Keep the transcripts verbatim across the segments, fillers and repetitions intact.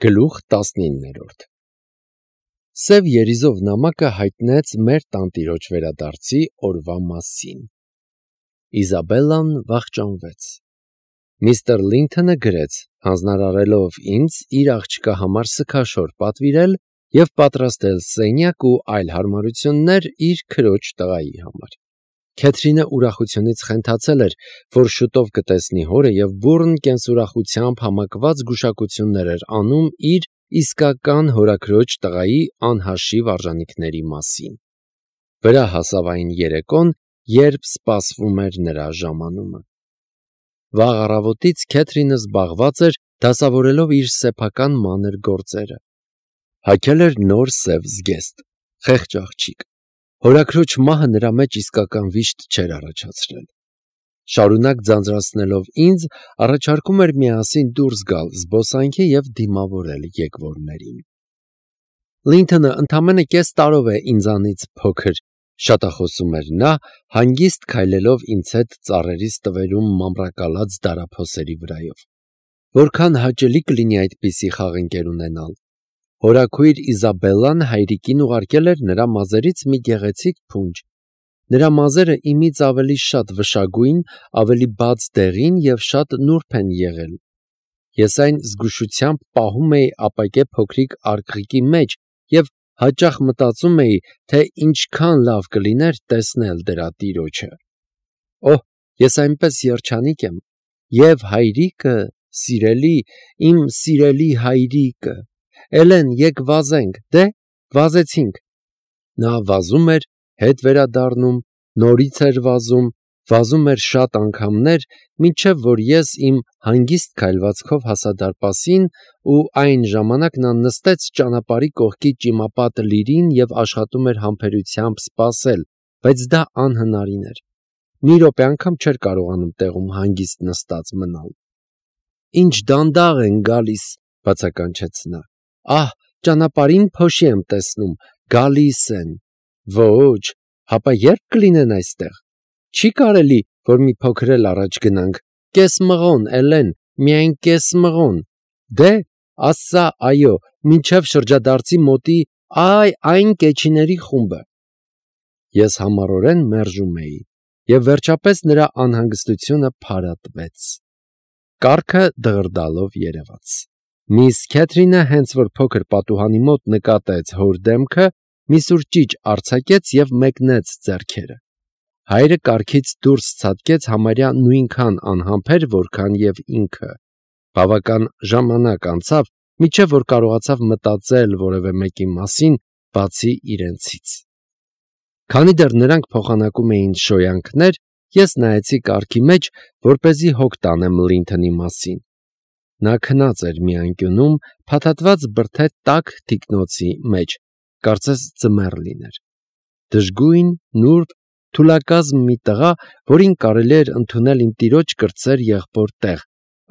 Գլուխ տասնիններորդ Սև երիզով նամակը հայտնեց մեր տանտիրոջ վերադարձի օրվա մասին։ Իզաբելլան վախճանվեց։ Միստր Լինթոնը գրեց, հանձնարարելով ինձ իր աղջկա համար սգաշոր պատվիրել և պատրաստել սենյակ ու այլ հարմարություններ իր քրոջ տղայի համար։ Քեթրինը ուրախությունից խենթացել էր, որ շուտով կտեսնի հորը և բուռն կենսուրախությամբ համակված գուշակություններ էր անում իր իսկական հորաքրոջ տղայի անհաշիվ արժանիքների մասին։ Վրա հասավ այն երեկոն, երբ սպասվում էր նրա ժամանումը։ Վաղ առավոտից Քեթրինը զբաղված էր դասավորելով իր սեփական մանր գործերը։ Հագել էր նոր սև զգեստ, խեղճ աղջիկ։ Հորաքրոջ մահը նրա մեջ իսկական վիշտ չէր առաջացրել։ Շարունակ ձանձրացնելով ինձ, առաջարկում էր միասին դուրս գալ զբոսանքի և դիմավորել եկվորներին։ Լինթոնը ընդամենը կես տարով է ինձանից փոքր, շատախոսում էր նա, հանգիստ քայլելով ինձ հետ ծառերիս տվերում մամռակալած դարափոսերի վրայով։ Որքան հաճելի կլինի այդպիսի խաղընկեր ունենալ։ Հորաքույր Իզաբելլան հայրիկին ուղարկել էր նրա մազերից մի գեղեցիկ փունջ։ Նրա մազերը իմից ավելի շատ վշագույն, ավելի բաց դեղին և շատ նուրբ են եղել։ Ես այն զգուշությամբ պահում էի ապակե փոքրիկ արկղիկի մեջ և հաճախ մտածում էի, թե ինչքան լավ կլիներ տեսնել դրա տիրոջը։ Օհ, ես այնպես երջանիկ եմ։ Եվ հայրիկը, սիրելի, իմ սիրելի հայրիկը… Էլեն, եկ վազենք, դե, վազեցինք։ Նա վազում էր, հետ վերադառնում, նորից էր վազում, վազում էր շատ անգամներ, մինչև որ ես իմ հանգիստ քայլվածքով հասա դարպասին, ու այն ժամանակ նա նստեց ճանապարհի կողքի ճիմապատ լիրին և աշխատում էր համբերությամբ սպասել, բայց դա անհնարին էր։ Մի րոպե անգամ չէր կարողանում տեղում հանգիստ նստած մնալ։ Ինչ դանդաղ են գալիս, բացականչեց նա։ Ահ, ճանապարհին փոշի եմ տեսնում, գալիս են։ Ոչ, հապա ե՞րբ կլինեն այստեղ։ Չի կարելի, որ մի փոքր էլ առաջ գնանք։ Կես մղոն, Էլեն, միայն կես մղոն։ Դե, ասա, այո, մինչև շրջադարձի մոտի, այ այն կեչիների խումբը։ Ես համառորեն մերժում էի, և վերջապես նրա անհանգստությունը փարատվեց։ Կառքը դղրդալով երևաց։ Միս Քեթրինը հենց որ փոքր պատուհանի մոտ նկատեց հոր դեմքը, մի սուր ճիչ արձակեց և մեկնեց ձեռքերը։ Հայրը կառքից դուրս ցատկեց համարյա նույնքան անհամբեր, որքան և ինքը։ Բավական ժամանակ անցավ, մինչև որ կարողացավ մտածել որևէ մեկի մասին, բացի իրենցից։ Քանի դեռ նրանք փոխանակում էին շոյանքներ, ես նայեցի կառքի մեջ, որպեսզի հոգ տանեմ Լինթոնի մասին։ Նա քնած էր մի անկյունում, փաթաթված բրդե տաք թիկնոցի մեջ, կարծես ձմեռ լիներ։ Դժգույն, նուրբ, թուլակազմ մի տղա, որին կարելի էր ընդունել իմ տիրոջ կրտսեր եղբոր տեղ,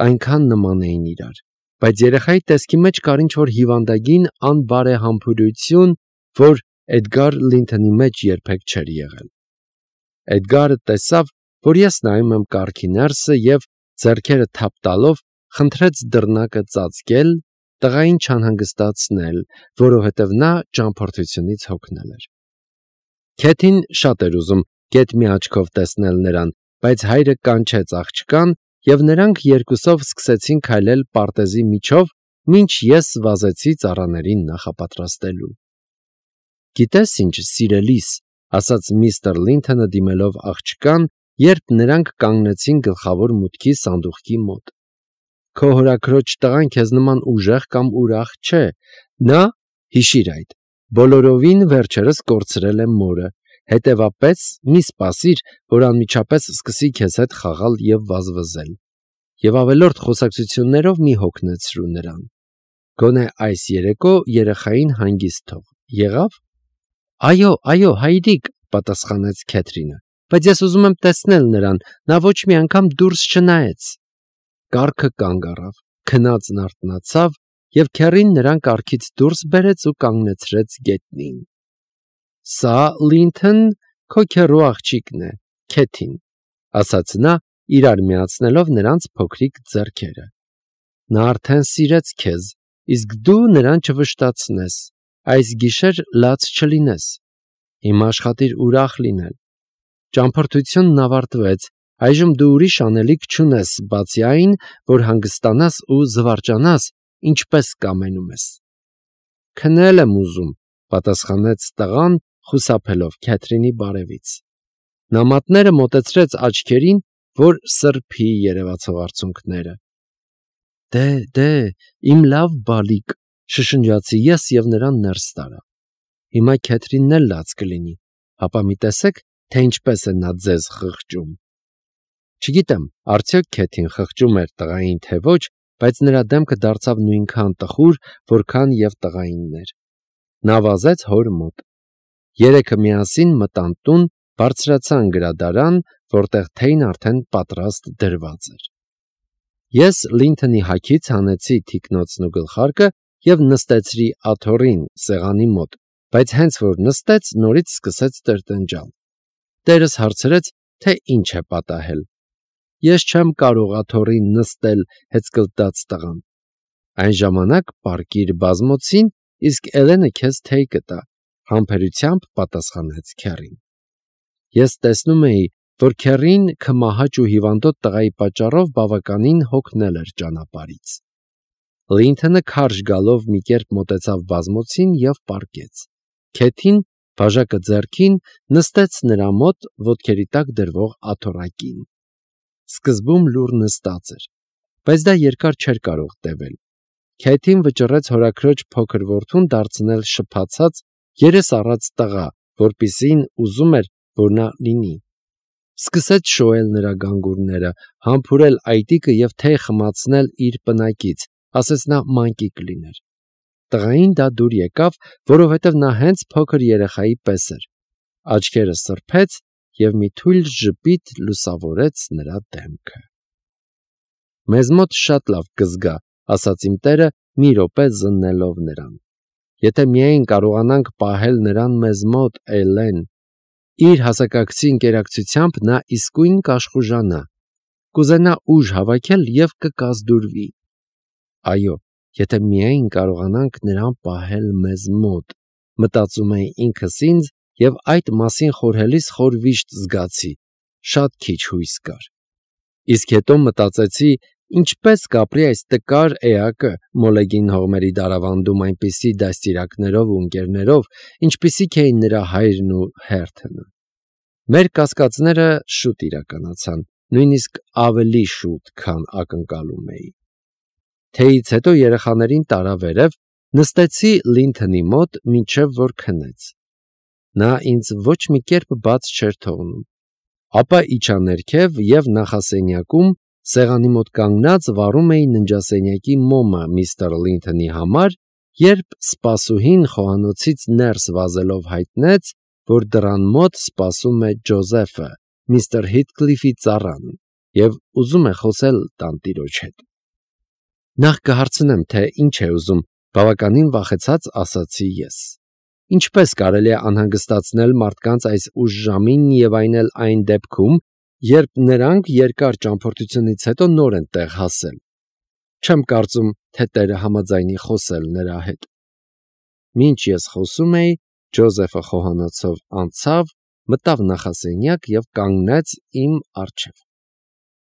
այնքան նման էին իրար։ Բայց երեխայի տեսքի մեջ կար ինչ-որ հիվանդագին անբարեհամբույրություն, որ Էդգար Լինթոնի մեջ երբեք չէր եղել։ Էդգարը տեսավ, որ ես նայում եմ կառքի ներսը և, ձեռքերը թափ տալով, խնդրեց դռնակը ծածկել, տղային չանհանգստացնել, որովհետև նա ճամփորդությունից հոգնել էր։ Քեթին շատ էր ուզում գեթ մի աչքով տեսնել նրան, բայց հայրը կանչեց աղջկան, և նրանք երկուսով սկսեցին քայլել պարտեզի միջով, մինչ ես վազեցի ծառաներին նախապատրաստելու։ Գիտես ինչ, սիրելիս, ասաց միստր Լինթոնը դիմելով աղջկան, երբ նրանք կանգնեցին գլխավոր մուտքի սանդուղքի մոտ։ Քո հորաքրոջ տղան քեզ նման ուժեղ կամ ուրախ չէ։ Նա, հիշիր այդ, բոլորովին վերջերս կորցրել է մորը, հետևապես մի սպասիր, որ անմիջապես սկսի քեզ հետ խաղալ և վազվզել։ Եվ ավելորդ խոսակցություններով մի հոգնեցրու նրան։ Գոնե այս երեկո երեխային հանգիստ թող, եղավ։ Այո, այո, հայրիկ, պատասխանեց Քեթրինը, բայց ես ուզում եմ տեսնել նրան, նա ոչ մի անգամ դուրս չնայեց։ Կառքը կանգ առավ, քնածն արթնացավ, և քեռին նրան կառքից դուրս բերեց ու կանգնեցրեց գետնին։ Սա, Լինթոն, քո քեռու աղջիկն է, Քեթին, ասաց նա, իրար միացնելով նրանց փոքրիկ ձեռքերը։ Նա արդեն սիրեց քեզ, իսկ դու նրան չվշտացնես, այս գիշեր լաց չլինես, հիմա աշխատիր ուրախ լինել, ճամփորդությունն ավարտվեց, այժմ դու ուրիշ անելիք չունես, բացի այն, որ հանգստանաս ու զվարճանաս, ինչպես կամենում ես։ Քնել եմ ուզում, պատասխանեց տղան, խուսափելով Քեթրինի բարևից։ Նա մատները մոտեցրեց աչքերին, որ սրբի երևացող արցունքները։ Դե, դե, իմ լավ բալիկ, շշնջացի ես և նրան ներս տարա։ Հիմա Քեթրինն էլ լաց կլինի, հապա մի տեսեք, թե ինչպես է նա ձեզ խղճում։ Չգիտեմ, արդյոք Քեթին խղճում էր տղային, թե ոչ, բայց նրա դեմքը դարձավ նույնքան տխուր, որքան և տղայինն էր։ Նա վազեց հոր մոտ։ Երեքը միասին մտան տուն, բարձրացան գրադարան, որտեղ թեյն արդեն պատրաստ դրված էր։ Ես Լինթոնի հագից հանեցի թիկնոցն ու գլխարկը և նստեցրի աթոռին սեղանի մոտ, բայց հենց որ նստեց, նորից սկսեց տրտնջալ։ Տերս հարցրեց, թե ինչ է պատահել։ Ես չեմ կարող աթոռին նստել, հեծկլտաց տղան։ Այն ժամանակ պառկիր բազմոցին, իսկ Էլենը քեզ թեյ կտա, համբերությամբ պատասխանեց քեռին։ Ես տեսնում էի, որ քեռին քմահաճ ու հիվանդոտ տղայի պատճառով բավականին հոգնել էր ճանապարհից։ Լինթոնը քարշ գալով մի կերպ մոտեցավ բազմոցին և պառկեց։ Քեթին, բաժակը ձեռքին, նստեց նրա մոտ ոտքերի տակ դրվող աթոռակին։ Սկզբում լուռ նստած էր, բայց դա երկար չէր կարող տևել։ Քեթին վճռեց հորաքրոջ փոքր որդուն դարձնել շփացած, երես առած տղա, որպիսին ուզում էր, որ նա լինի։ Սկսեց շոյել նրա գանգուրները, համբուրել այտիկը և թեյ խմացնել իր պնակից, ասես նա մանկիկ լիներ։ Տղային դա դուր եկավ, որովհետև նա հենց փոքր երեխայի պես էր։ Աչքերը սրբեց և մի թույլ ժպիտ լուսավորեց նրա դեմքը։ Մեզ մոտ շատ լավ կզգա, ասաց իմ տերը, մի րոպե զննելով նրան։ Եթե միայն կարողանանք պահել նրան մեզ մոտ, Էլեն, իր հասակակցի ընկերակցությամբ նա իսկույն կաշխուժանա, կուզենա ուժ հավաքել և կկազդուրվի։ Այո, եթե միայն կարողանանք նրան պահել մեզ մոտ, մտածում էի ինքս ինձ և այդ մասին խորհելիս խոր վիշտ զգացի, շատ քիչ հույս կար։ Իսկ հետո մտածեցի, ինչպես կապրի այս տկար էակը Մոլեգին հողմերի դարավանդում այնպիսի դաստիարակներով ու ընկերներով, ինչպիսիք էին նրա հայրն ու Հերթոնը։ Մեր կասկածները շուտ իրականացան, նույնիսկ ավելի շուտ, քան ակնկալում էի։ Թեյից հետո երեխաներին տարա վերև, նստեցի Լինթոնի մոտ, մինչև որ քնեց։ Նա ինձ ոչ մի կերպ բաց չէր թողնում։ Ապա իջա ներքև և նախասենյակում, սեղանի մոտ կանգնած, վառում էի ննջասենյակի մոմը միստր Լինթոնի համար, երբ սպասուհին խոհանոցից ներս վազելով հայտնեց, որ դռան մոտ սպասում է Ջոզեֆը, միստր Հիթկլիֆի ծառան, և ուզում է խոսել տանտիրոջ հետ։ Նախ կհարցնեմ, թե ինչ է ուզում, բավականին վախեցած ասացի ես։ Ինչպես կարելի է անհանգստացնել մարդկանց այս ուշ ժամին և այն էլ այն դեպքում, երբ նրանք երկար ճամփորդությունից հետո նոր են տեղ հասել։ Չեմ կարծում, թե տերը համաձայնի խոսել նրա հետ։ Մինչ ես խոսում էի, Ջոզեֆը խոհանոցով անցավ, մտավ նախասենյակ և կանգնեց իմ առջև։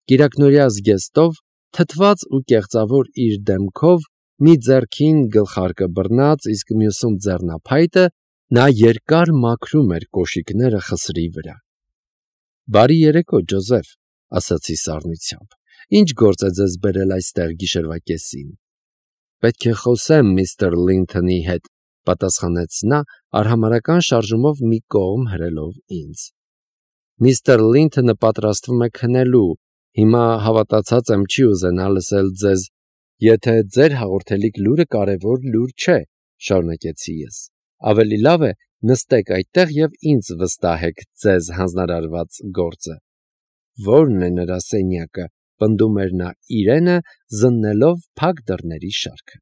Կիրակնօրյա զգեստով, թթված ու կեղծավոր իր դեմքով, մի ձեռքին գլխարկը բռնած, իսկ մյուսում ձեռնափայտը, նա երկար մաքրում էր կոշիկները խսրի վրա։ Բարի երեկո, Ջոզեֆ, ասացի սառնությամբ։ Ինչ գործ է ձեզ բերել այստեղ գիշերվա կեսին։ Պետք է խոսեմ միստր Լինթոնի հետ, պատասխանեց նա, արհամարհական շարժումով մի կողմ հրելով ինձ։ Միստր Լինթոնը պատրաստվում է քնելու, հիմա հավատացած եմ չի ուզենա լսել ձեզ, եթե ձեր հաղորդելիք լուրը կարևոր լուր չէ, շարունակեցի ես։ Ավելի լավ է նստեք այդտեղ և ինձ վստահեք ձեզ հանձնարարված գործը։ Ո՞րն է նրա սենյակը, պնդում էր նա իրենը, զննելով փակ դռների շարքը։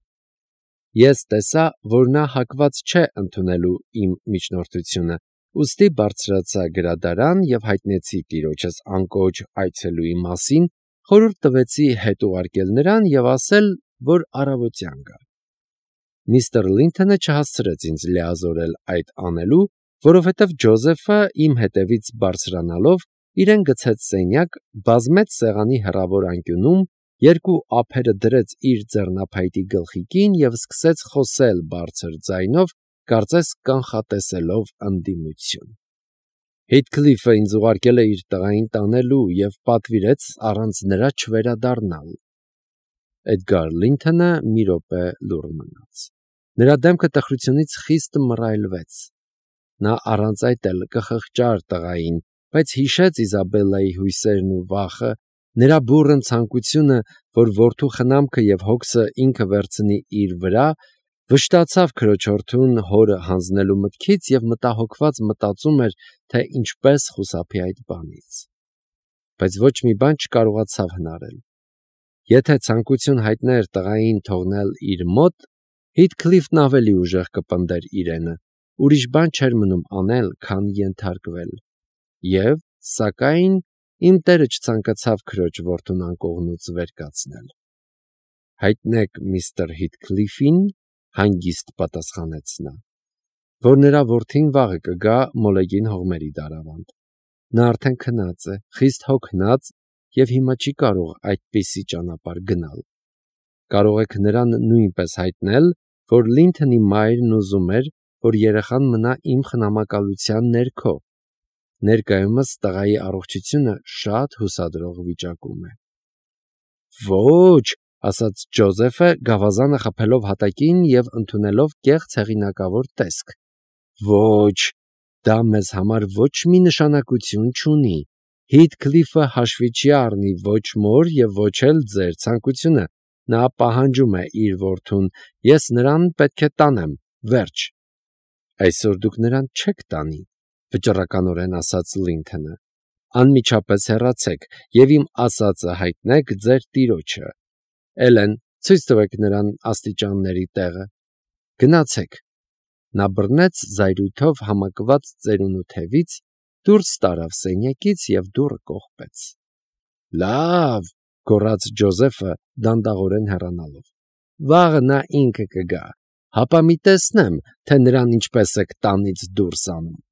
Ես տեսա, որ նա հակված չէ ընդունելու իմ միջնորդությունը, ուստի բարձրացա գրադարան և հայտնեցի տիրոջս անկոչ այցելուի մասին, խորհուրդ տվեցի հետ ուղարկել նրան և ասել, որ առավոտյան գա։ Միստր Լինթոնը չհասցրեց ինձ լիազորել այդ անելու, որովհետև Ջոզեֆը իմ հետևից բարձրանալով իրեն գցեց սենյակ, բազմեց սեղանի հեռավոր անկյունում, երկու ափերը դրեց իր ձեռնափայտի գլխիկին և սկսեց խոսել բարձր ձայնով, կարծես կանխատեսելով ընդդիմություն։ Հեյթքլիֆը ինձ ուղարկել է իր տղային տանելու և պատվիրեց առանց նրա չվերադառնալ։ Էդգար Լինթոնը մի րոպե լուռ մնաց։ Նրա դեմքը տխրությունից խիստ մռայլվեց։ Նա առանց այդ էլ կխղճար տղային, բայց հիշեց Իզաբելլայի հույսերն ու վախը, նրա բուռն ցանկությունը, որ որդու խնամքը և հոգսը ինքը վերցնի իր վրա, վշտացավ քրոջորդուն հորը հանձնելու մտքից և մտահոգված մտածում էր, թե ինչպես խուսափի այդ բանից։ Բայց ոչ մի բան չկարողացավ հնարել։ Եթե ցանկություն հայտներ տղային թողնել իր մոտ, Հեյթքլիֆն ավելի ուժեղ կպնդեր իրենը, ուրիշ բան չէր մնում անել, քան ենթարկվել։ Եվ, սակայն, իմ տերը չցանկացավ քրոջ որդուն անկողնուց վեր կացնել։ Հայտնեք միստր Հեյթքլիֆին, հանգիստ պատասխանեց նա, որ նրա որդին վաղը կգա Մոլեգին հողմերի դարավանդ։ Նա արդեն քնած է, խիստ հոգնած և հիմա չի կարող այդպիսի ճանապարհ գնալ։ Կարող եք նրան նույնպես հայտնել, որ Լինթոնի մայրն ուզում էր, որ երեխան մնա իմ խնամակալության ներքո։ Ներկայումս տղայի առողջությունը շատ հուսադրող վիճակում է։ Ոչ, ասաց Ջոզեֆը, գավազանը խփելով հատակին և ընդունելով կեղծ հեղինակավոր տեսք։ Ոչ, դա մեզ համար ոչ մի նշանակություն չունի։ Հեյթքլիֆը հաշվի չի առնի ոչ մոր և ոչ էլ ձեր ցանկությունը։ Նա պահանջում է իր որդուն, ես նրան պետք է տանեմ, վերջ։ Այսօր դուք նրան չեք տանի, վճռականորեն ասաց Լինթոնը։ Անմիջապես հեռացեք և իմ ասածը հայտնեք ձեր տիրոջը։ Էլեն, ցույց տվեք նրան աստիճանների տեղը։ Գնացեք։ Նա բռնեց զայրույթով համակված ծերունու թևից, դուրս տարավ սենյակից և դուռը կողպեց։ Լավ, գոռաց Ջոզեֆը դանդաղորեն հեռանալով։ Վաղը նա ինքը կգա, հապա մի տեսնեմ, թե նրան ինչպես եք տանից դուրս անում։